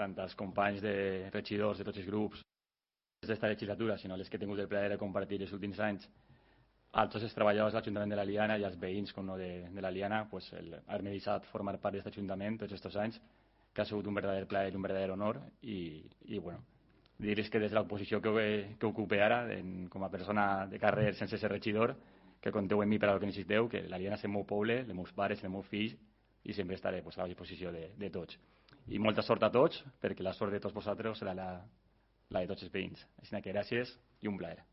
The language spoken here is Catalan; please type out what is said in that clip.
tant als companys de regidors de tots els grups d'esta legislatura, sinó les que he tingut el plaer de compartir els últims anys, a tots els treballadors de l'Ajuntament de l'Eliana i als veïns com no de l'Eliana, pues, haver-me deixat formar part d'aquest Ajuntament tots aquests anys, que ha sigut un verdader plaer i un verdader honor. I bueno, dir-vos que des de l'oposició que ocupe ara, com a persona de carrer sense ser regidor, que compteu en mi per al que necessiteu, que l'Eliana és el meu poble, els meus pares, els meus fills, i sempre estaré a la disposició de tots. I molta sort a tots, perquè la sort de tots vosaltres serà la de tots els veïns. Així que gràcies i un plaer.